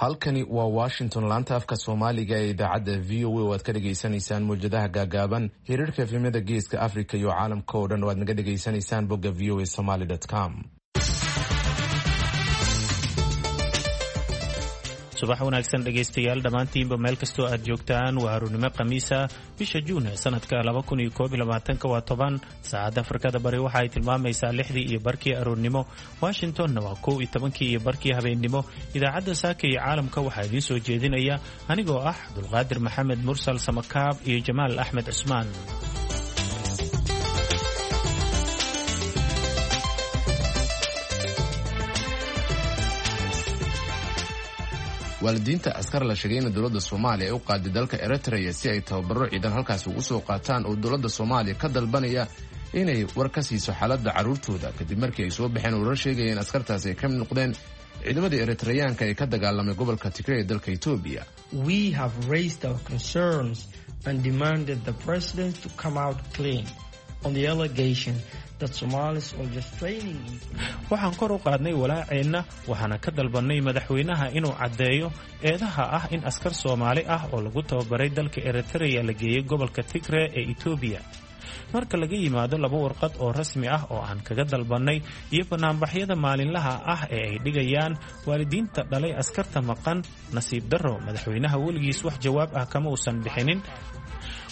Halkani waa Washington, laanta afka Soomaaliga ee idaacadda VOA oo aad ka dhagaysanaysaan mawjadaha gaagaaban, hiriirka efemyada Geeska Africa iyo caalamka oo dhan oo aad naga dhagaysanaysaan bogga voasomaly.com. Subax wanaagsan dhegaystayaal dhammaantiinba meel kastoo aad joogtaan. Waa arournimo Khamiisa, bisha Juun ee sanadka waa 10. Saacadda Afrikada Bari waxa ay tilmaamaysaa 6:30 aroornimo, Washingtonna waa 11:30 habeennimo. Idaacadda Saaka iyo Caalamka waxaa idiin soo jeedinaya anigoo ah Cabdulqaadir Maxamed Mursal Samakaab iyo Jamaal Axmed Cusmaan. Waalidiinta askar la sheegay in dowladda Soomaaliya ay u qaaday dalka Eritrea si ay tababaro ciidan halkaasi ugu soo qaataan oo dowladda Soomaaliya ka dalbanaya inay war ka siiso xaaladda carruurtooda, kadib markii ay soo baxeen warar sheegaya in askartaasi ay ka mid noqdeen ciidamadii Eritreyaanka ee ka dagaalamay gobolka Tigray ee dalka Etoobiya. Waxaan kor u qaadnay walaaceenna, waxaana ka dalbannay madaxweynaha inuu caddeeyo eedaha ah in askar Soomaali ah oo lagu tababaray dalka Eritreya la geeyey gobolka Tigre ee Etoobiya. Marka laga yimaado laba warqad oo rasmi ah oo aan kaga dalbannay iyo bannaanbaxyada maalinlaha ah ee ay dhigayaan waalidiinta dhalay askarta maqan, nasiib darro madaxweynaha weligiis wax jawaab ah kama uusan bixinin.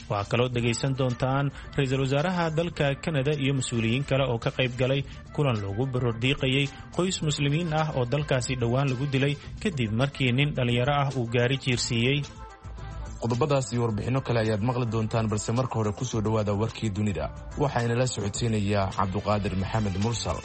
Waxaa kaloo dhegaysan doontaan ra-iisul wasaaraha dalka Kanada iyo mas-uuliyiin kale oo ka qayb galay kulan loogu baroordiiqayay qoys muslimiin ah oo dalkaasi dhowaan lagu dilay kadib markii nin dhallinyaro ah uu gaari jiirsiiyey. Qodobadaas iyo warbixinno kale ayaad maqli doontaan, balse marka hore kusoo dhowaada warkii dunida. Waxaa inala socodsiinayaa Cabduqaadir Maxamed Mursal.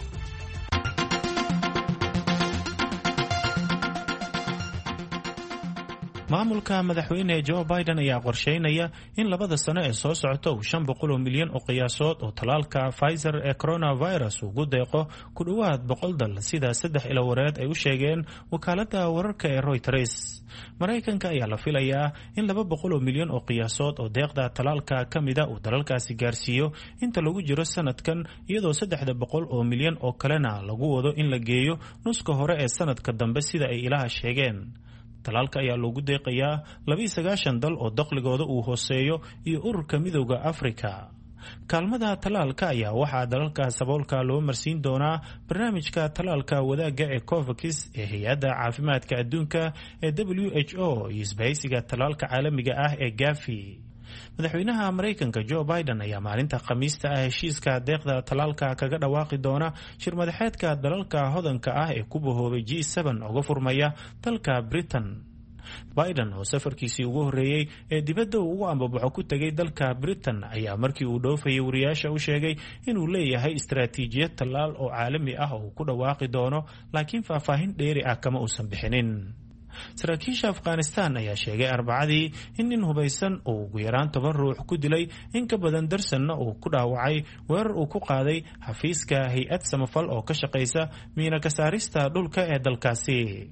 Maamulka madaxweyne Joe Biden ayaa qorsheynaya in 2da sano ee soo socota uu 500 milyan oo qiyaasood oo tallaalka Pfizer ee coronavirus ugu deeqo ku dhowaad 100 dal, sida saddex ilawareed ay u sheegeen wakaaladda wararka ee Reuters. Maraykanka ayaa la filayaa in 200 milyan oo qiyaasood oo deeqda tallaalka ka mida uu dalalkaasi gaarsiiyo inta lagu jiro sanadkan, iyadoo 300 milyan oo kalena lagu wado in la geeyo nuska hore ee sanadka dambe, sida ay ilaha sheegeen. Talaalka ayaa loogu deeqayaa 92 dal oo dakhligooda uu hooseeyo iyo Ururka Midooda Afrika. Kaalmada tallaalka ayaa waxaa dalalka saboolka loo marsiin doonaa barnaamijka tallaalka wadaagga ee COVAX ee Hay-adda Caafimaadka Adduunka ee WHO iyo isbahaysiga tallaalka caalamiga ah ee GAVI. Madaxweynaha Maraykanka Joe Biden ayaa maalinta Khamiista ah heshiiska deeqda tallaalka kaga dhawaaqi doona shir madaxeedka dalalka hodanka ah ee ku bahoobay G7 uga furmaya dalka Britain. Biden oo safarkiisii ugu horreeyey ee dibadda uu ugu ambabaxo ku tegay dalka Britain ayaa markii uu dhoofayay wariyaasha u sheegay inuu leeyahay istaraatiijiyad tallaal oo caalami ah oo uu ku dhawaaqi doono, laakiin faahfaahin dheeri ah kama uusan bixinin. Saraakiisha Afghanistan ayaa sheegay Arbacadii in nin hubaysan uu ugu yaraan 10 ruux ku dilay, in ka badan darsanna uu ku dhaawacay weerar uu ku qaaday xafiiska hay-ad samafal oo ka shaqaysa miina kasaarista dhulka ee dalkaasi.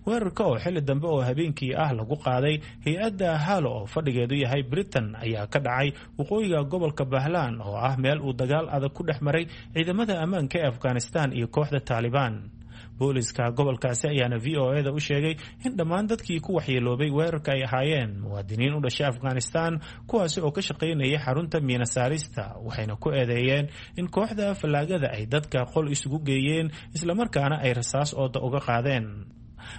Weerarka oo xilli dambe oo habeenkii ah lagu qaaday hay-adda Halo oo fadhigeedu yahay Britain ayaa ka dhacay waqooyiga gobolka Bahlaan, oo ah meel uu dagaal adag ku dhex maray ciidamada ammaanka ee Afghanistan iyo kooxda Taalibaan. Booliska gobolkaasi ayaana VOA da u sheegay in dhammaan dadkii ku waxyeeloobay weerarka ay ahaayeen muwaadiniin u dhashay Afghanistan, kuwaasi oo ka shaqaynayay xarunta miina saarista, waxayna ku eedeeyeen in kooxda fallaagada ay dadka qol isugu geeyeen, islamarkaana ay rasaas ooda uga qaadeen.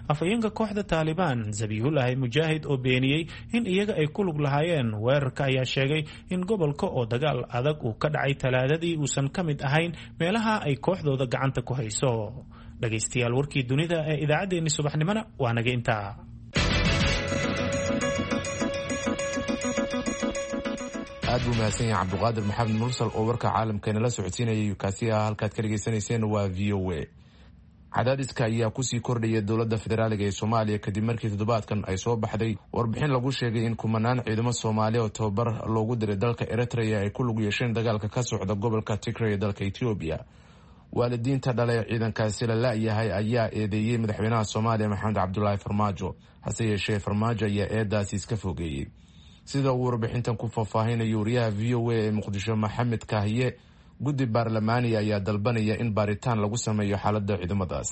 Afhayeenka kooxda Taalibaan Zabihulahi Mujaahid oo beeniyey in iyaga ay ku lug lahaayeen weerarka ayaa sheegay in gobolka oo dagaal adag uu ka dhacay Talaadadii uusan ka mid ahayn meelaha ay kooxdooda gacanta ku hayso. Dhegaystayaal, warkii dunida ee idaacaddeenni subaxnimona waa naga intaa. Aad buu mahadsan yahay Cabduqaadir Maxamed Mursal oo warka caalamka inala socodsiinayay. Kaasi ah halkaad ka dhegaysanayseen waa VOA. Cadaadiska ayaa kusii kordhaya dowladda federaaliga ee Soomaaliya kadib markii toddobaadkan ay soo baxday warbixin lagu sheegay in kumanaan ciidamo Soomaaliya oo tababar loogu diray dalka Eritrea ay ku lug yeesheen dagaalka ka socda gobolka Tigray ee dalka Etoobiya. Waalidiinta dhalay ciidankaasi la la-yahay ayaa eedeeyey madaxweynaha Soomaaliya Maxamed Cabdulaahi Farmaajo. Hase yeeshee, Farmaajo ayaa eedaasi iska fogeeyey, sida uu warbixintan ku faahfaahinayo wariyaha VOA ee Muqdisho Maxamed Kaahiye. Guddi baarlamaaniya ayaa dalbanaya in baaritaan lagu sameeyo xaaladda ciidamadaas.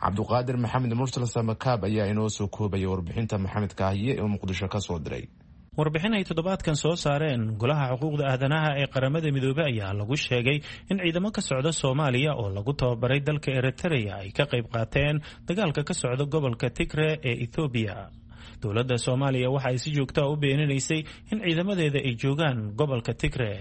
Cabduqaadir Maxamed Mursal Samakaab ayaa inoo soo koobaya warbixinta Maxamed Kaahiye ee Muqdisho ka soo diray. Warbixin ay toddobaadkan soo saareen Golaha Xuquuqda Aadanaha ee Qaramada Midoobey ayaa lagu sheegay in ciidamo ka socda Soomaaliya oo lagu tababaray dalka Eritrea ay ka qayb qaateen dagaalka ka socda gobolka Tigre ee Ethoobiya. Dowladda Soomaaliya waxa ay si joogtaa u beeninaysay in ciidamadeeda ay joogaan gobolka Tigre.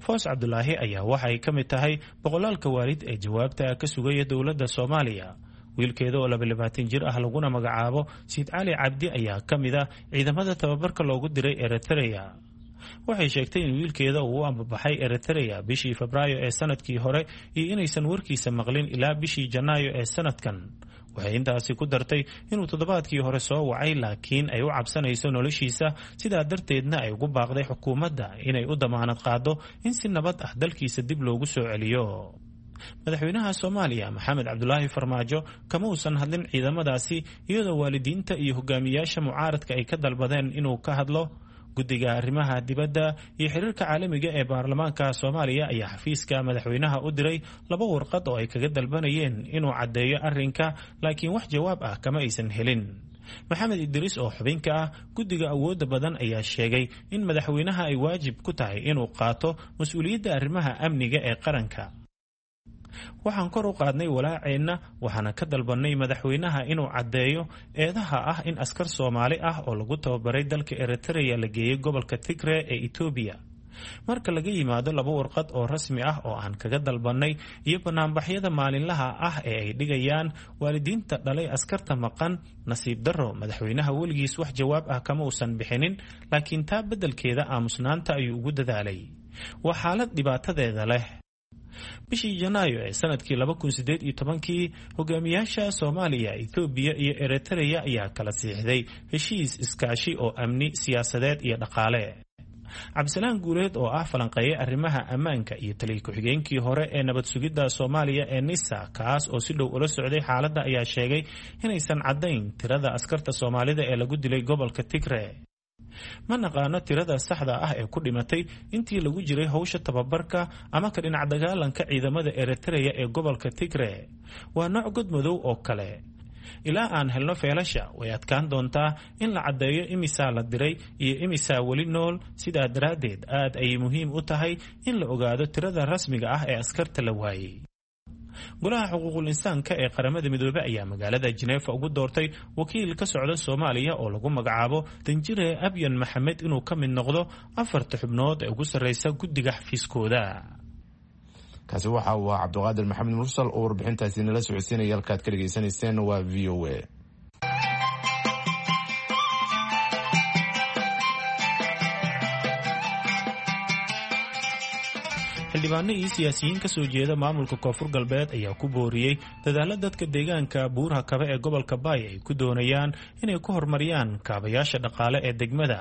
Foos Cabdulaahi ayaa waxa ay ka mid tahay boqolaalka waalid ee jawaabta ka sugaya dowladda Soomaaliya. Wiilkeeda oo 22 jir ah laguna magacaabo Siid Cali Cabdi ayaa ka mid ah ciidamada tababarka loogu diray Eritrea. Waxay sheegtay in wiilkeeda uu u ambabaxay Eritrea bishii Febraayo ee sanadkii hore iyo inaysan warkiisa maqlin ilaa bishii Janaayo ee sanadkan. Waxay intaasi ku dartay inuu toddobaadkii hore soo wacay, laakiin ay u cabsanayso noloshiisa, sidaa darteedna ay ugu baaqday xukuumadda inay u damaanad qaado in si nabad ah dalkiisa dib loogu soo celiyo. Madaxweynaha Soomaaliya Maxamed Cabdulaahi Farmaajo kama uusan hadlin ciidamadaasi, iyadoo waalidiinta iyo hogaamiyaasha mucaaradka ay ka dalbadeen inuu ka hadlo. Guddiga arrimaha dibadda iyo xiriirka caalamiga ee baarlamaanka Soomaaliya ayaa xafiiska madaxweynaha u diray 2 warqad oo ay kaga dalbanayeen inuu caddeeyo arrinka, laakiin wax jawaab ah kama aysan helin. Maxamed Idriis oo xubinka ah guddiga awoodda badan ayaa sheegay in madaxweynaha ay waajib ku tahay inuu qaato mas-uuliyadda arrimaha amniga ee qaranka. Waxaan kor u qaadnay walaaceenna, waxaana ka dalbannay madaxweynaha inuu caddeeyo eedaha ah in askar Soomaali ah oo lagu tababaray dalka Eritrea la geeyey gobolka Tigre ee Etoobiya. Marka laga yimaado 2 warqad oo rasmi ah oo aan kaga dalbannay iyo banaanbaxyada maalinlaha ah ee ay dhigayaan waalidiinta dhalay askarta maqan, nasiib darro madaxweynaha weligiis wax jawaab ah kama uusan bixinin, laakiin taa beddelkeeda aamusnaanta ayuu ugu dadaalay. Waa xaalad dhibaatadeeda leh. Bishii Janaayo ee sanadkii 2018kii hogaamiyaasha Soomaaliya, Ethoobiya iyo Eritrea ayaa kala siixday heshiis iskaashi oo amni, siyaasadeed iyo dhaqaale. Cabdisalaan Guuleed oo ah falanqeeye arrimaha ammaanka iyo taliya ku-xigeenkii hore ee nabad sugidda Soomaaliya ee NISA, kaas oo si dhow ula socday xaaladda, ayaa sheegay inaysan caddayn tirada askarta Soomaalida ee lagu dilay gobolka Tigre. Ma naqaano tirada saxda ah ee ku dhimatay intii lagu jiray howsha tababarka ama ka dhinac dagaalanka ciidamada Eritrea ee gobolka Tigre. Waa nooc godmadow oo kale. Ilaa aan helno feelasha, way adkaan doontaa in la caddeeyo imisaa la diray iyo imisaa weli nool. Sidaa daraaddeed aad ayay muhiim u tahay in la ogaado tirada rasmiga ah ee askarta la waayey. Golaha xuquuqul insaanka ee Qaramada Midoobey ayaa magaalada Jineefa ugu doortay wakiil ka socda Soomaaliya oo lagu magacaabo Danjire Abyan Maxamed inuu ka mid noqdo 4 xubnood ee ugu sarreysa guddiga xafiiskooda. Kaasi waxa uu ahaa Cabdiqaadir Maxamed Mursal oo warbixintaasi nala socodsiinaya. Halkaad ka dhegaysanayseen waa V O A. Xildhibaano iyo siyaasiyiin ka soo jeeda maamulka Koonfur Galbeed ayaa ku booriyey dadaalla dadka deegaanka Buuraha Kabe ee gobolka Baay ay ku doonayaan inay ku horumariyaan kaabayaasha dhaqaale ee degmada.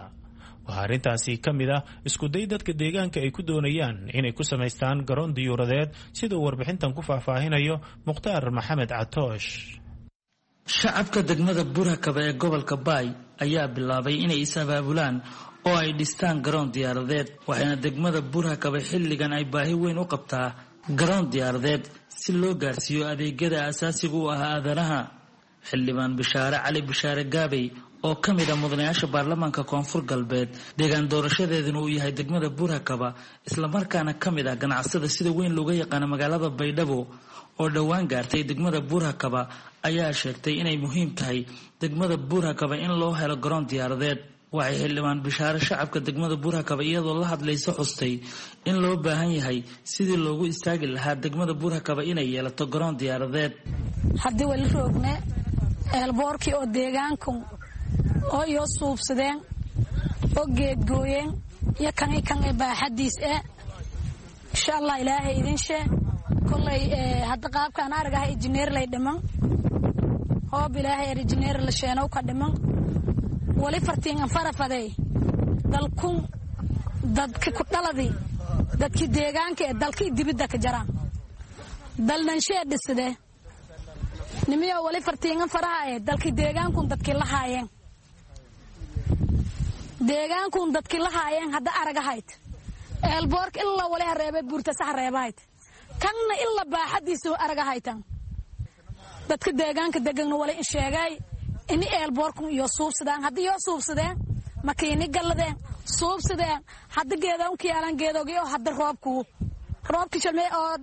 Waxaa arrintaasi ka mid ah iskuday dadka deegaanka ay ku doonayaan inay ku samaystaan garoon diyuuradeed, siduu warbixintan ku faahfaahinayo Mukhtaar Maxamed Catoosh. Shacabka degmada Buurhakaba ee gobolka Baay ayaa bilaabay inay is-abaabulaan oo ay dhistaan garoon diyaaradeed, waxayna degmada Buurhakaba xilligan ay baahi weyn u qabtaa garoon diyaaradeed si loo gaarsiiyo adeegyada asaasiga u ah aadanaha. Xildhibaan Bishaare Cali Bishaare Gaabey oo ka mid ah mudanayaasha baarlamaanka Koonfur Galbeed, deegaan doorashadeeduna uu yahay degmada Buurhakaba, islamarkaana ka mid ah ganacsada sida weyn looga yaqaano magaalada Baydhabo oo dhowaan gaartay degmada Buurhakaba, ayaa sheegtay inay muhiim tahay degmada Buurhakaba in loo helo garoon diyaaradeed. Waxay xildhibaan Bishaare shacabka degmada Buurhakaba iyadoo la hadlaysa xustay in loo baahan yahay sidii loogu istaagi lahaa degmada Buurhakaba inay yeelato garoon diyaaradeed. Haddii wali roogne eelboorkii oo deegaanku oo iyo suubsadeen oo geedgooyeen iyo kanay kanay baaxadiis eh, insha Allah ilaahay idin shee kollay. Hadda qaabkaan aragaha injineer lay dhiman, hoob ilaahay injineer la sheenow ka dhiman. Wali fartiin farafadey dalkun dadki ku dhaladi, dadkii deegaanka ee dalkii dibidda ka jaraan dalnanshee dhiside nimiyo. Wali fartiingan faraha ee dalkii deegaankun dadkii la haayeen, deegaankun dadkii la haayeen. Hadda aragahayd eelboorka ilaa wali hareebay buurtasa hareebahayd, kanna ilaa baaxadiisu aragahaytan. Dadka deegaanka degana wala in sheegay ini eelboorkun iyo suubsadaan. Haddii yoo suubsadeen makiini galladeen suubsadeen hadda geedoonka yaalan geedoogi oo hadda roobkuu roobki shalmey oo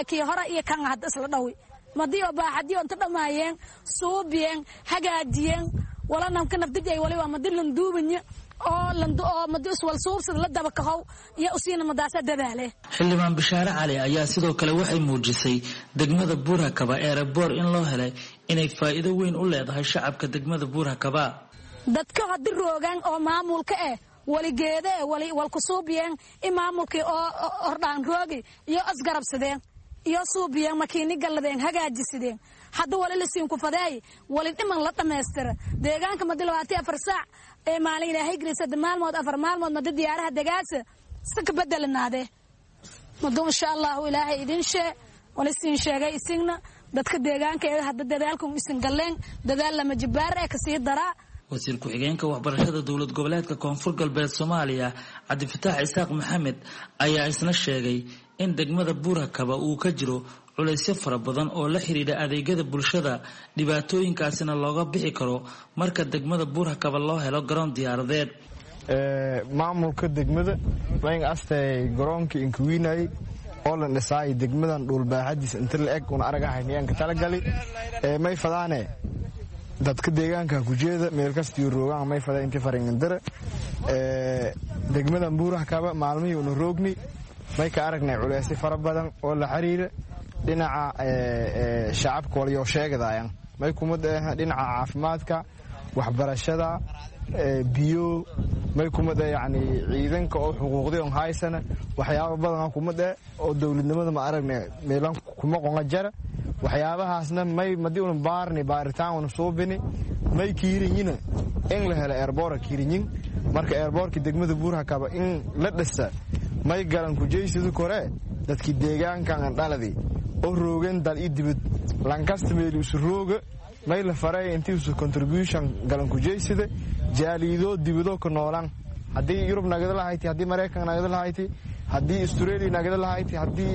kii hore iyo kan hadda isla dhawi madii oo baaxadii oo inta dhammaayeen suubiyeen hagaajiyeen wala namka nafdijay waliba madi landuubanya oo oo madi iswal suubsad la daba kahow iyo usiina madaasa dadaale. Xildhibaan Bishaare Cali ayaa sidoo kale waxay muujisay degmada Buurhakaba eereboor in loo helay inay faa'iido weyn u leedahay shacabka degmada Buurhakaba. Dadka haddi roogaan oo maamulka eh waligeede wali walku suubiyeen in maamulkii oo hordhaan roogi iyo asgarabsadeen iyo suubiyeen makiini galladeen hagaajisadeen. Hadda wali la siin ku fadeey wali dhiman la dhammaystira deegaanka madi 24 saac ee maalin ilaahay gelisada maalmood 4 maalmood madi diyaaraha degaasa si ka bedelanaade madu insha allahu ilaahay idin shee wali siin sheegay isigna dadka deegaanka ee hadda dadaalku isin galleen dadaal lama jibaar ee kasii daraa. Wasiir ku-xigeenka waxbarashada dowlad goboleedka Koonfur Galbeed Soomaaliya Cabdifataax Isaaq Maxamed ayaa isna sheegay in degmada Buurhakaba uu ka jiro culaysyo fara badan oo la xiriira adeegyada bulshada, dhibaatooyinkaasina looga bixi karo marka degmada Buurhakaba loo helo garoon diyaaradeed. Maamulka degmada wayn astay garoonka inkuwiinay oo lan dhisaay degmadan dhulbaaxadiis inta la eg una aragahaynayaan ka talagali may fadaane dadka deegaanka kujeeda meel kastiyo roogaan may fada inti faringandara degmadan Buurhakaba maalmihii una roogni may ka aragnay culeysyo fara badan oo la xiriira dhinaca shacabka walyoo sheegadayan may kuma dhinaca caafimaadka, waxbarashada, biyo may kuma dhe yacni ciidanka oo xuquuqday on haysana waxyaaba badan kuma dhe oo dowladnimada ma aragnay meelan kuma qonga jara waxyaabahaasna may madii una baarni baaritaan una suubini may kiirinyina in la helo eerboora kiirinyin. Marka eerboorka degmada Buurhakaba in la dhisa may galan kujeysadu kore dadkii deegaankan andhaladi oo roogan dal i dibad lankasta meel isu rooga may la faray intii isu contribution galan kujeysada jaaliidoo dibadoo ka noolaan haddii Yurub nagada lahayti, haddii Maraykan nagada lahayti, haddii Australia nagada lahayti, haddii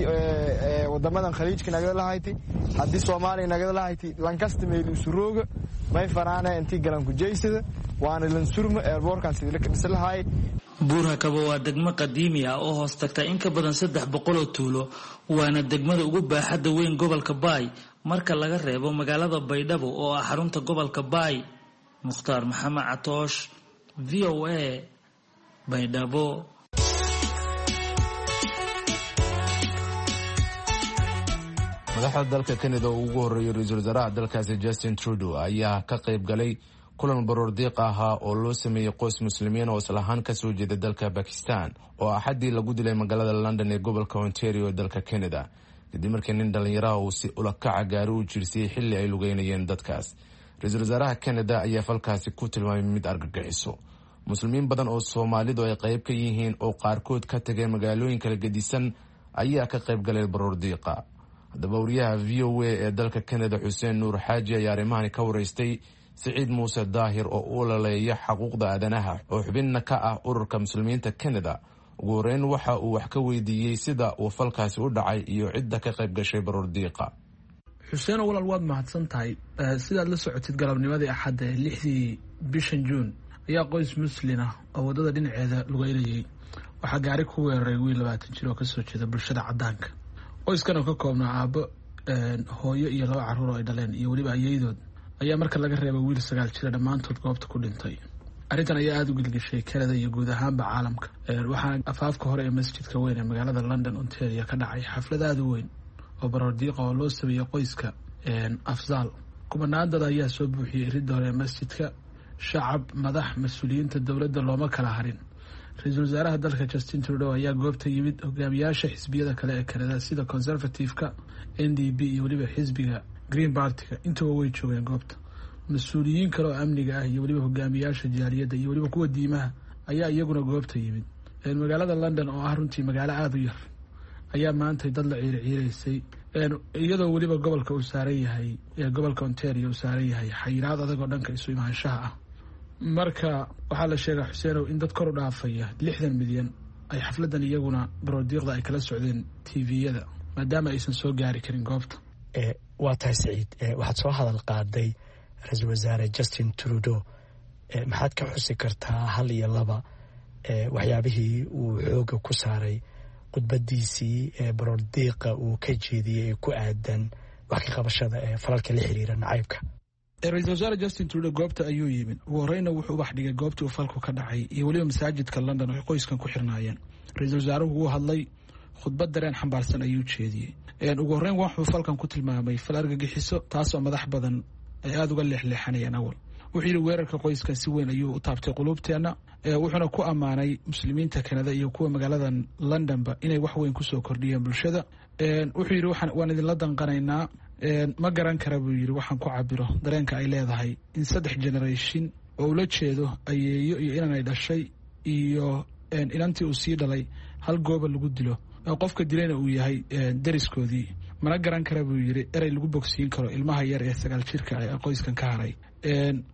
wadamadan khaliijka nagada lahayti, haddii Soomaaliya nagada lahayti, lankasta meel isu rooga may faraana intii galan kujeysada waana lansurma eerboorkan sidii la ka dhisi lahaay. Buurhakaba waa degmo qadiimi ah oo hoos tagta in ka badan 300 oo tuulo, waana degmada ugu baaxadda weyn gobolka Baay marka laga reebo magaalada Baydhabo oo ah xarunta gobolka Baay. Mukhtaar Maxamed Catoosh, VOA, Baydhabo. Madaxda dalka Canada oo ugu horreeyay ra-iisul wasaaraha dalkaasi Justin Trudeau ayaa ka qayb galay kulan baroordiiq ahaa oo loo sameeyey qoys muslimiin oo islahaan kasoo jeeda dalka Bakistan oo axaddii lagu dilay magaalada London ee gobolka Ontario ee dalka Canada kadib markii nin dhallinyaraha uu si ulakaca gaari u jirsiyey xilli ay lugeynayeen dadkaas. Ra-iisul wasaaraha Canada ayaa falkaasi ku tilmaamay mid argagixiso. Muslimiin badan oo Soomaalidu ay qayb ka yihiin oo qaarkood ka tegay magaalooyin kala gedisan ayaa ka qayb galay baroordiiqa. Haddaba wariyaha VOA ee dalka Canada Xuseen Nuur Xaaji ayaa arrimahani ka waraystay Siciid Muuse Daahir oo u ololeeya xuquuqda aadanaha oo xubinna ka ah ururka muslimiinta Canada. Ugu horeyn waxa uu wax ka weydiiyey sida uu falkaasi u dhacay iyo cidda ka qayb gashay baroordiiqa. Xuseen walaal, waad mahadsan tahay. Sidaad la socotid, galabnimadii Axadda ee 6dii bishan Juun ayaa qoys muslin ah oo waddada dhinaceeda lugeynayay waxaa gaari ku weeraray wiil 20 jir oo kasoo jeeda bulshada caddaanka. Qoyskan oo ka koobnaa aabbo, hooyo iyo 2 carruur oo ay dhaleen iyo weliba ayeydood ayaa marka laga reebay wiil 9 jira dhammaantood goobta ku dhintay. Arrintan ayaa aada u gilgishay Canada iyo guud ahaanba caalamka. Waxaana afaafka hore ee masjidka weyn ee magaalada London, Ontario ka dhacay xaflad aada u weyn oo baroordiiqa oo loo sameeyey qoyska Afzaal. Kumanaan dad ayaa soo buuxiyey iridda hore ee masjidka. Shacab, madax, mas-uuliyiinta dowladda looma kala harin. Ra-iisul wasaaraha dalka Justin Trudeau ayaa goobta yimid. Hogaamiyaasha xisbiyada kale ee Canada sida Conservative-ka, NDP iyo weliba xisbiga Green Party-ga intuba way joogeen goobta. Mas-uuliyiin kale oo amniga ah iyo weliba hogaamiyaasha jaaliyadda iyo weliba kuwa diimaha ayaa iyaguna goobta yimid. Magaalada London oo ah runtii magaalo aada u yar ayaa maantay dad la ciirciiraysay, iyadoo weliba gobolka uu saaran yahay, gobolka Ontario uu saaran yahay xayiraad adag oo dhanka isu imaanshaha ah. Marka waxaa la sheegaa, Xuseenow, in dad kor u dhaafaya 60 milyan ay xafladan iyaguna baroordiiqda ay kala socdeen TV-yada maadaama aysan soo gaari karin goobta. Waa tahay Saciid, waxaad soo hadal qaaday ra-iisul wasaare Justin Trudeau. Maxaad ka xusi kartaa hal iyo laba waxyaabihii uu xooga ku saaray khudbadiisii baroordiiqa uu ka jeediyey ee ku aadan wax ka qabashada ee falalka la xiriira nacaybka? Ra-iisul wasaare Justin Trudeau goobta ayuu yimid. Ugu horeyna wuxuu ubax dhigay goobtii uu falku ka dhacay iyo weliba masaajidka London oo ay qoyskan ku xirnaayeen. Ra-iisul wasaaruhu wuu hadlay, khudbad dareen xambaarsan ayuu jeediyey. Ugu horreyn wuxuu falkan ku tilmaamay fal argagixiso, taasoo madax badan ay aada uga leexleexanayeen awal. Wuxuu yidhi weerarka qoyskan si weyn ayuu u taabtay quluubteenna, wuxuuna ku ammaanay muslimiinta Kanada iyo kuwa magaaladan Londonba inay wax weyn kusoo kordhiyeen bulshada. Wuxuu yidhi waan idinla danqanaynaa, ma garan kara buu yidhi waxaan ku cabiro dareenka ay leedahay in 3 generation oo ula jeedo ayeeyo iyo inanay dhashay iyo inantii uu sii dhalay hal gooba lagu dilo, qofka dilayna uu yahay deriskoodii. Mana garan kara buu yidhi erey lagu bogsiin karo ilmaha yar ee 9 jirka ee qoyskan ka haray.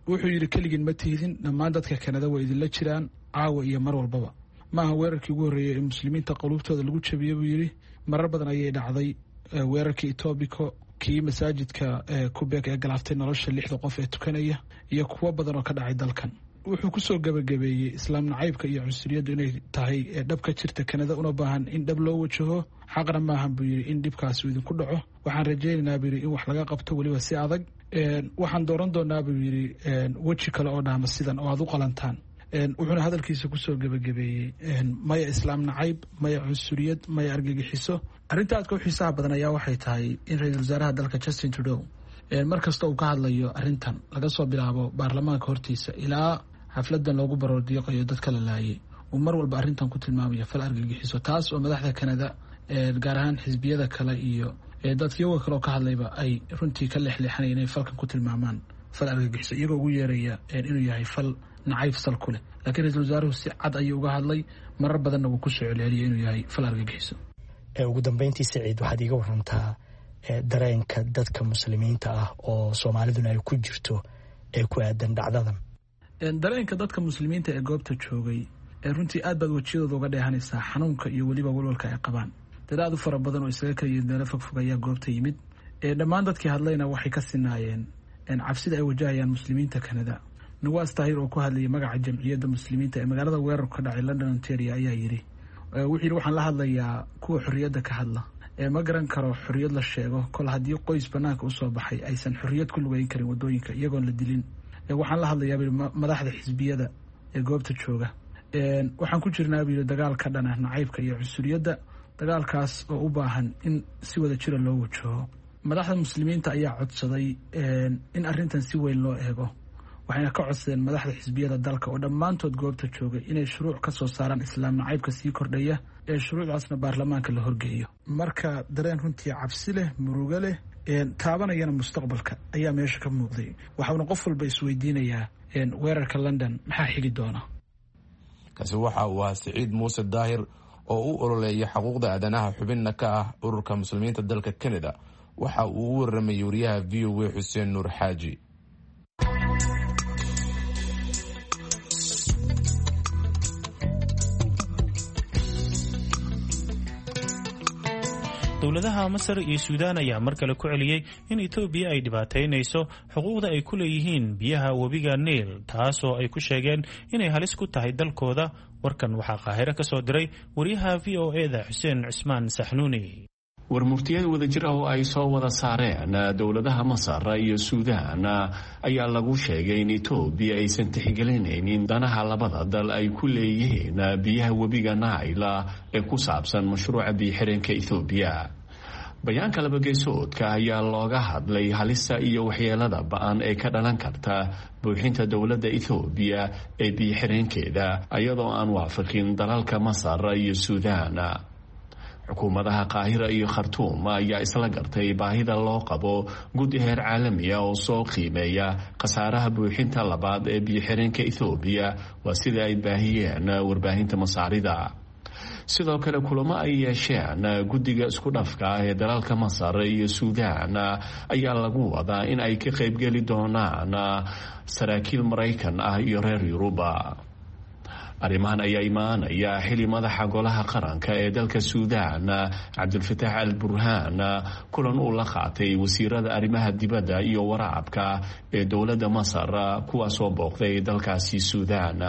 Wuxuu yidhi keligin ma tiidin, dhammaan dadka Kanada way idinla jiraan caawa iyo mar walbaba. Maaha weerarkii ugu horreeyey ee muslimiinta quluubtooda lagu jabiyey buu yidhi, marar badan ayay dhacday, weerarkii Etobicoke, kii masaajidka Quebec ee galaaftay nolosha 6da qof ee tukanaya, iyo kuwo badan oo ka dhacay dalkan. Wuxuu kusoo gabagabeeyey islaam nacaybka iyo cunsuriyaddu inay tahay dhab ka jirta Kanada, una baahan in dhab loo wajaho. Xaqna maahan buu yidhi in dhibkaasi idinku dhaco. Waxaan rajaynaynaa buu yidhi in wax laga qabto weliba si adag. Waxaan dooran doonaa buu yidhi weji kale oo dhaama sidan oo aad u qalantaan. Wuxuuna hadalkiisa kusoo gabagabeeyey maya islaam nacayb, maya cunsuriyad, maya argagixiso. Arrinta aadka u xiisaha badan ayaa waxay tahay in ra-iisul wasaaraha dalka Justin Trudeau mar kasta uu ka hadlayo arrintan, laga soo bilaabo baarlamaanka hortiisa ilaa xafladan loogu baroordiiqayo dadka la laayay, uu mar walba arrintan ku tilmaamayo fal argagixiso, taas oo madaxda Kanada gaar ahaan xisbiyada kale iyo dadkiyaga kale oo ka hadlayba ay runtii ka leexleexanaya inay falkan ku tilmaamaan fal argagixiso, iyagoo ugu yeeraya inuu yahay fal nacayb sal ku leh. Laakiin ra-iisul wasaaruhu si cad ayuu uga hadlay, marar badanna wuu kusoo celceliyay inuu yahay fal argagixiso. Ugu dambeyntii Saciid, waxaad iiga warantaa dareenka dadka muslimiinta ah oo soomaaliduna ay ku jirto ee ku aadan dhacdadan. Dareenka dadka muslimiinta ee goobta joogay runtii aad baad wejiyadooda uga dheehanaysaa xanuunka iyo weliba walwalka ay qabaan. Dad aad u fara badan oo isaga kala yimid meelo fogfog ayaa goobta yimid. Dhammaan dadkii hadlayna waxay ka sinaayeen cabsida ay wajahayaan muslimiinta Kanada. Nawaas Tahir oo ku hadlayay magaca jamciyadda muslimiinta ee magaalada weerarku ka dhacay London Ontario ayaa yidhi, wuxuu yidhi waxaan la hadlayaa kuwa xorriyadda ka hadla. Ma garan karo xorriyad la sheego kol haddii qoys banaanka usoo baxay aysan xorriyad ku lugeyn karin wadooyinka iyagoon la dilin. Waxaan la hadlayaa buu madaxda xisbiyada ee goobta jooga. Waxaan ku jirnaa buu yidhi dagaal ka dhana nacaybka iyo cunsuriyadda, dagaalkaas oo u baahan in si wada jira loo wajaho. Madaxda muslimiinta ayaa codsaday in arrintan si weyn loo eego, waxayna ka codsadeen madaxda xisbiyada dalka oo dhammaantood goobta joogay inay shuruuc ka soo saaraan islaam nacaybka sii kordhaya, ee shuruucdaasna baarlamaanka la horgeeyo. Marka dareen runtii cabsi leh, murugo leh, taabanayana mustaqbalka ayaa meesha ka muuqday. Waxauna qof walba isweydiinayaa weerarka London maxaa xigi doona. Kaasi waxa uu ahaa Siciid Muuse Daahir oo u ololeeya xuquuqda aadanaha, xubinna ka ah ururka muslimiinta dalka Canada. Waxa uu u waramayay wariyaha VOA Xuseen Nuur Xaaji. Dowladaha Masar iyo Suudaan ayaa mar kale ku celiyey in Itoobiya ay dhibaataynayso xuquuqda ay ku leeyihiin biyaha webiga Niil, taasoo ay ku sheegeen inay halis ku tahay dalkooda. Warkan waxaa Qaahiro ka soo diray wariyaha VOA-da Xuseen Cismaan Saxnuuni. Warmurtiyad wadajir ah oo ay soo wada saareen dowladaha Masar iyo Suudaan ayaa lagu sheegay in Itoobiya aysan tixgelinaynin danaha labada dal ay ku leeyihiin biyaha webiga Naila ee ku saabsan mashruuca biyo-xireenka Itoobiya. Bayaanka labageesoodka ayaa looga hadlay halista iyo waxyeelada ba-an ee ka dhalan karta buuxinta dowladda Itoobiya ee biyo-xireenkeeda, iyadoo aan waafaqin dalalka Masar iyo Suudaan. Xukuumadaha Qaahira iyo Khartuum ayaa isla gartay baahida loo qabo guddi heer caalami ah oo soo qiimeeya khasaaraha buuxinta labaad ee biyo-xireenka Itoobiya, waa sida ay baahiyeen warbaahinta Masaarida. Sidoo kale kulamo ay yeesheen guddiga isku dhafka ah ee dalalka Masar iyo Suudaan ayaa lagu wadaa in ay ka qaybgeli doonaan saraakiil Maraykan ah iyo reer Yuruba. Arrimahan ayaa imaanaya xili madaxa golaha qaranka ee dalka Suudaan Cabdulfataax Al Burhaan kulan uu la qaatay wasiirada arrimaha dibadda iyo waraabka ee dowladda Masar, kuwaasoo booqday dalkaasi Suudaan.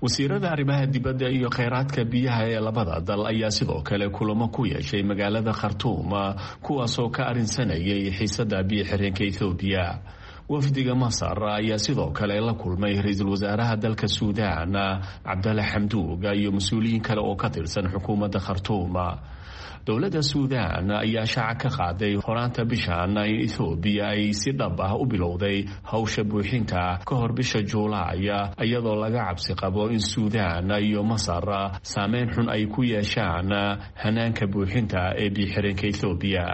Wasiirada arrimaha dibadda iyo kheyraadka biyaha ee labada dal ayaa sidoo kale kulamo ku yeeshay magaalada Khartuum, kuwaasoo ka arrinsanayay xiisada biyo-xireenka Ethoobiya. Wafdiga Masar ayaa sidoo kale la kulmay ra-iisul wasaaraha dalka Suudaan Cabdalla Xamduug iyo mas-uuliyiin kale oo ka tirsan xukuumadda Khartuum. Dowladda Suudaan ayaa shaaca ka qaaday horaanta bishan in Ethoobiya ay si dhab ah u bilowday howsha buuxinta ka hor bisha Juulaay, iyadoo laga cabsi qabo in Suudaan iyo Masar saameyn xun ay ku yeeshaan hanaanka buuxinta ee biyo-xireenka Ethoobiya.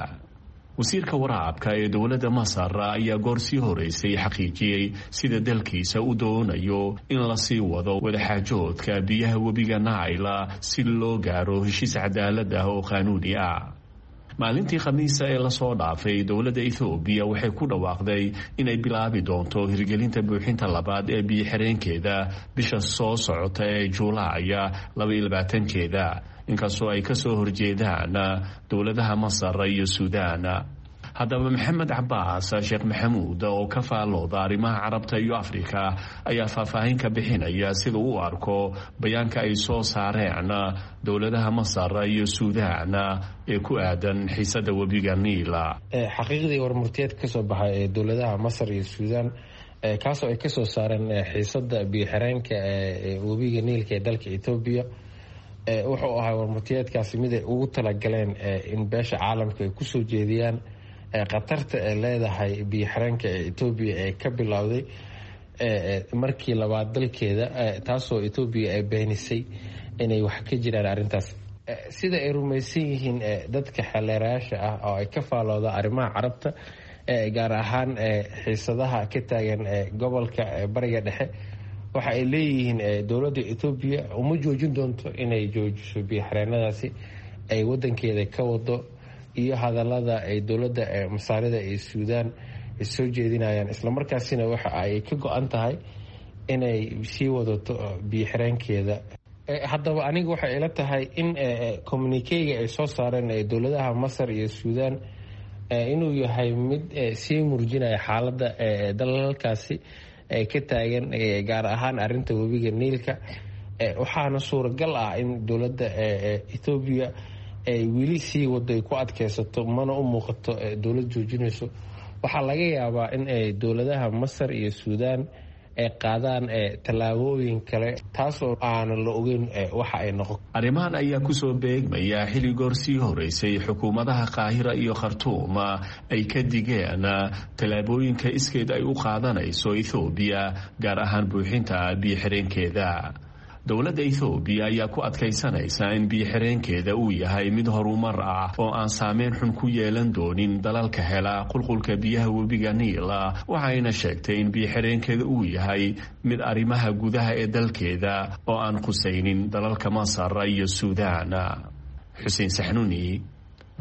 Wasiirka waraabka ee dowladda Masar ayaa goor sii horeysay xaqiijiyey sida dalkiisa u doonayo in lasii wado wadaxaajoodka biyaha webiga Naila si loo gaaro heshiis cadaalad ah oo qaanuuni ah. Maalintii Khamiisa ee lasoo dhaafay, dowladda Ethoobiya waxay ku dhawaaqday inay bilaabi doonto hirgelinta buuxinta labaad ee biyo-xireenkeeda bisha soo socota ee Juulaaya 22-keeda, inkastoo ay kasoo horjeedaan dowladaha Masar iyo Suudaan. Haddaba Maxamed Cabaas Sheekh Maxamuud oo ka faallooda arrimaha Carabta iyo Afrika ayaa faahfaahin ka bixinaya sida uu arko bayaanka ay soo saareen dowladaha Masar iyo Suudaan ee ku aadan xiisada webiga Niila. Xaqiiqdii warmurtiyeed kasoo baxay ee dowladaha Masar iyo Suudaan, kaasoo ay kasoo saareen xiisada biyo-xireenka ee webiga Niilka ee dalka Etoobiya, wuxuu ahaa warmurtiyeedkaasi mid ay ugu talagaleen in beesha caalamka ay kusoo jeediyaan khatarta ay leedahay biyo-xireenka ee Etoobiya ee ka bilowday markii labaad dalkeeda, taasoo Etoobiya ay beenisay inay wax ka jiraan arrintaas. Sida ay rumaysan yihiin dadka xeleerayaasha ah oo ay ka faalooda arrimaha Carabta, gaar ahaan xiisadaha ka taagan gobolka Bariga Dhexe, waxa ay leeyihiin dowladda Etoobiya uma joojin doonto inay joojiso biyo-xireenadaasi ay wadankeeda ka wado iyo hadalada ay dowladda Masaarida iyo Suudaan soo jeedinayaan, islamarkaasina waxa ay ka go-an tahay inay sii wadato biyo-xireenkeeda. Haddaba aniga waxay ila tahay in communikeyga ay soo saareen dowladaha Masar iyo Suudaan inuu yahay mid sii murjinaya xaaladda dalalkaasi ka taagan, gaar ahaan arinta webiga Niilka. Waxaana suuragal ah in dowladda Etoobiya ay weli sii wado ay ku adkeysato, mana u muuqato dowlad joojinayso. Waxaa laga yaabaa in dowladaha Masar iyo Suudaan ay qaadaan tallaabooyin kale, taasoo aanan la ogeyn waxa ay noqon. Arrimahan ayaa kusoo beegmaya xili goor sii horeysay xukuumadaha Qaahira iyo Khartuum ay ka digeen tallaabooyinka iskeed ay u qaadanayso Ethoobiya, gaar ahaan buuxinta biyo-xireenkeeda. Dowladda Ethoobiya ayaa ku adkaysanaysa in biyo-xireenkeeda uu yahay mid horumar ah oo aan saameyn xun ku yeelan doonin dalalka hela qulqulka biyaha webiga Niila, waxayna sheegtay in biyo-xireenkeeda uu yahay mid arrimaha gudaha ee dalkeeda oo aan khusaynin dalalka Masar iyo Suudaan. Xuseen Saxnuuni,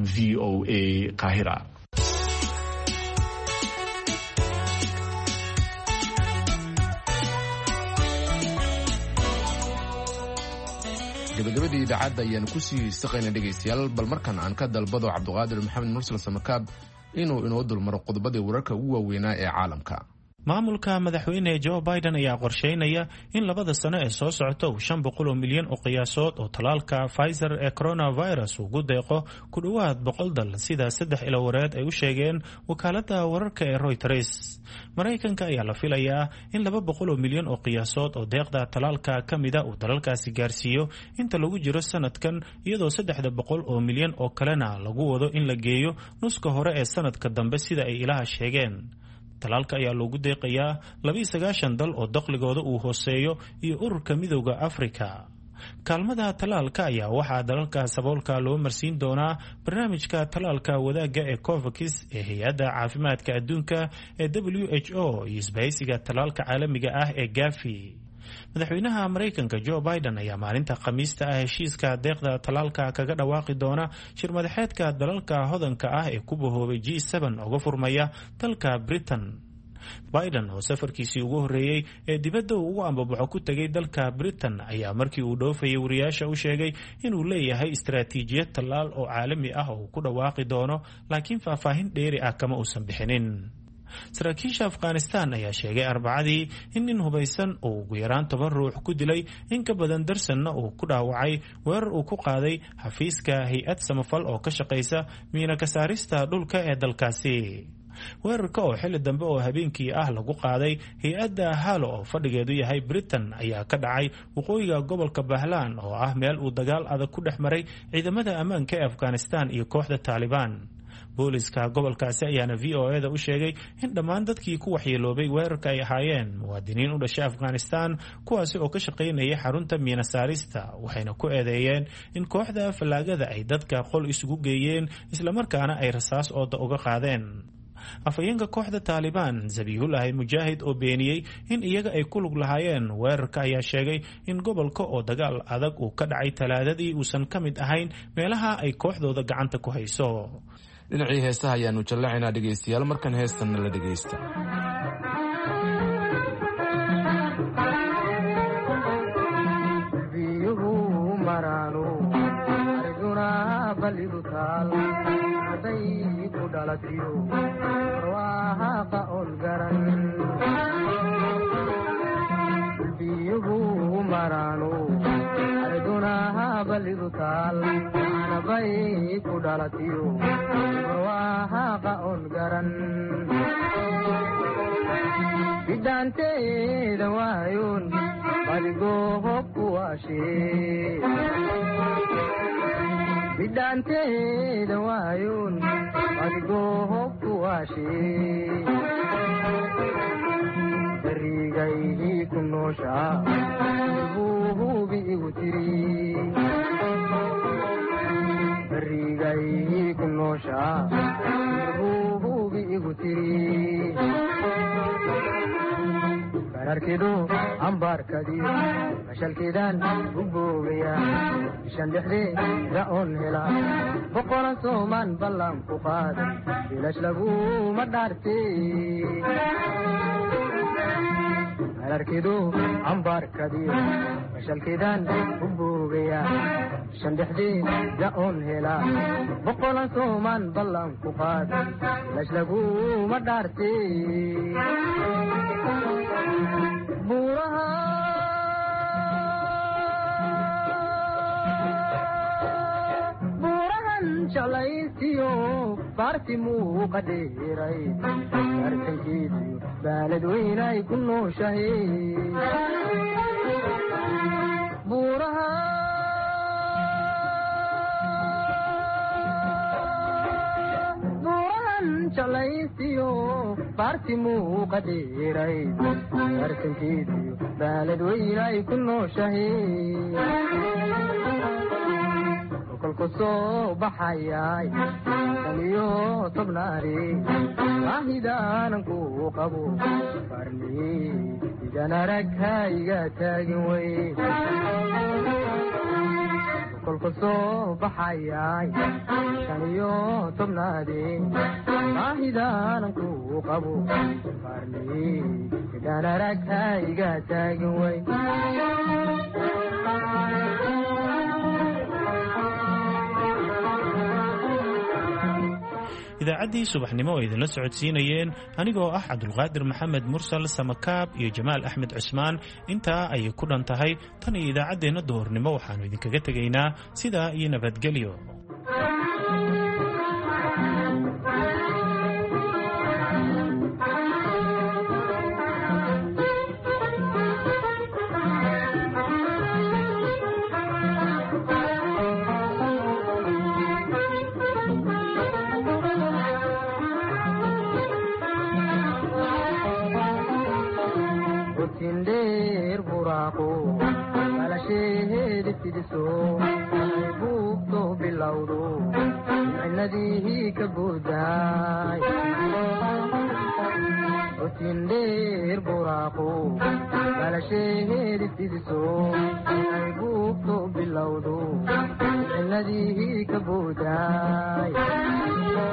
V O A, Qaahira. Gabagabadii idaacadda ayaanu kusii saqayna dhegaystayaal, bal markan aan ka dalbado Cabduqaadir Maxamed Mursal Samakaab inuu inoo dulmaro qodobadii wararka ugu waaweynaa ee caalamka. Maamulka madaxweyne Joe Biden ayaa qorsheynaya in 2da sano ee soo socota uu 500 oo milyan oo qiyaasood oo tallaalka Pfizer ee coronavirus ugu deeqo ku dhowaad 100 dal, sida 3 ilawareed ay u sheegeen wakaaladda wararka ee Reuters. Maraykanka ayaa la filayaa in 200 oo milyan oo qiyaasood oo deeqda tallaalka ka mida uu dalalkaasi gaarsiiyo inta lagu jiro sanadkan, iyadoo 300 oo milyan oo kalena lagu wado in la geeyo nuska hore ee sanadka dambe, sida ay ilaha sheegeen. Talaalka ayaa loogu deeqayaa 92 dal oo dakhligooda uu hooseeyo iyo ururka Midowda Afrika. Kaalmada talaalka ayaa waxaa dalalka saboolka loo marsiin doonaa barnaamijka talaalka wadaagga ee COVAX ee hay-adda caafimaadka adduunka ee WHO iyo isbahaysiga talaalka caalamiga ah ee Gavi. Madaxweynaha Maraykanka Joe Biden ayaa maalinta Khamiista ah heshiiska deeqda talaalka kaga dhawaaqi doona shir madaxeedka dalalka hodanka ah ee ku bahoobay G7 uga furmaya dalka Britain. Biden oo safarkiisii ugu horreeyey ee dibadda uu ugu ambabaxo ku tegay dalka Britain ayaa markii uu dhoofayay wariyaasha u sheegay inuu leeyahay istaraatiijiyad tallaal oo caalami ah oo uu ku dhawaaqi doono, laakiin faahfaahin dheeri ah kama uusan bixinin. Saraakiisha Afghanistan ayaa sheegay Arbacadii in nin hubaysan uu ugu yaraan 10 ruux ku dilay, in ka badan darsanna uu ku dhaawacay weerar uu ku qaaday xafiiska hay-ad samafal oo ka shaqaysa miina ka saarista dhulka ee dalkaasi. Weerarka oo xilli dambe oo habeenkii ah lagu qaaday hay-adda Halo oo fadhigeedu yahay Britain ayaa ka dhacay waqooyiga gobolka Bahlaan oo ah meel uu dagaal adag ku dhex maray ciidamada ammaanka ee Afghanistan iyo kooxda Taalibaan. Booliska gobolkaasi ayaana VOA-da u sheegay in dhammaan dadkii ku waxyeeloobay weerarka ay ahaayeen muwaadiniin u dhashay Afghanistan, kuwaasi oo ka shaqaynayay xarunta miina saarista, waxayna ku eedeeyeen in kooxda fallaagada ay dadka qol isugu geeyeen islamarkaana ay rasaas ooda uga qaadeen. Afhayeenka kooxda Taalibaan Zabihulahi Mujaahid oo beeniyey in iyaga ay ku lug lahaayeen weerarka ayaa sheegay in gobolka oo dagaal adag uu ka dhacay Talaadadii uusan ka mid ahayn meelaha ay kooxdooda gacanta ku hayso. Dhinacii heesaha ayaanu jallacaynaa dhegaystayaal, markan heestanna la dhegaysta. Bidaanteeda waayoon badigoo kuwaashee, bidaanteeda waayoon adigoo kuwaashee, barigaydii ku nooshaa buuhubi igu tiri, barigaydii ku nooshaa buuhubi igu tiri. Bararkidu ambaarkadiyo mashalkiidaan u boogaya, bishan dhexdeeda oon hela boqolan soomaan ballan ku qaad, bilash laguma dhaarte. Bararkidu ambaarkadiyo mashalkiidaan u boogaya, bishan dhexdeeda oon hela boqolan soomaan ballan ku qaad, bilash laguma dhaarte. Buurahan jalaysiyo baarti muuqa dheeray, artankiisiyo baalad weynay ku nooshahay. Buuraha buurahan jalaysiyo baarti muuqa dheeray, artankiisiyo baalad weynay ku nooshahay. Kolku soo baxayay 15 naari, baahidaanan ku qabo farni idan arag hayga taagin wey. Kolku soo baxayay 15 naari, baahidaanan ku qabo farni idan arag hayga taagin wey. Idaacaddii subaxnimo oo idinla socodsiinayeen anigoo ah Cabdulqaadir Maxamed Mursal Samakaab iyo Jamaal Axmed Cusmaan intaa ayay ku dhan tahay. Tan iyo idaacaddeenna duhurnimo waxaannu idinkaga tegaynaa sidaa iyo nabadgelyo. Bilowdo ciladihi ka boodaay.